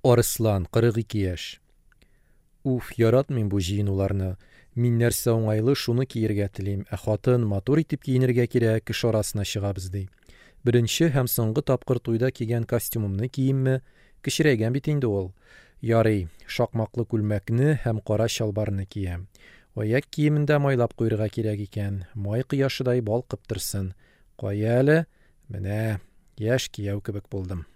Арыслан, 42 яшь. Уф, яратмыйм бу җыенуларны. Мин нәрсә уңайлы, шуны киергә телим, ә хатын, матур итеп киенергә кирәк, кеше арасына чыгабыз, ди. Беренче һәм соңгы тапкыр туйда кигән костюмымны киимме? Кечерәйгән бит инде ул. Ярый, шакмаклы күлмәкне һәм кара чалбарны киям. Аяк киемен дә майлап куерга кирәк икән, май кояшыдай балкып торсын. Кая әле? Менә, яшь кияү кебек булдым.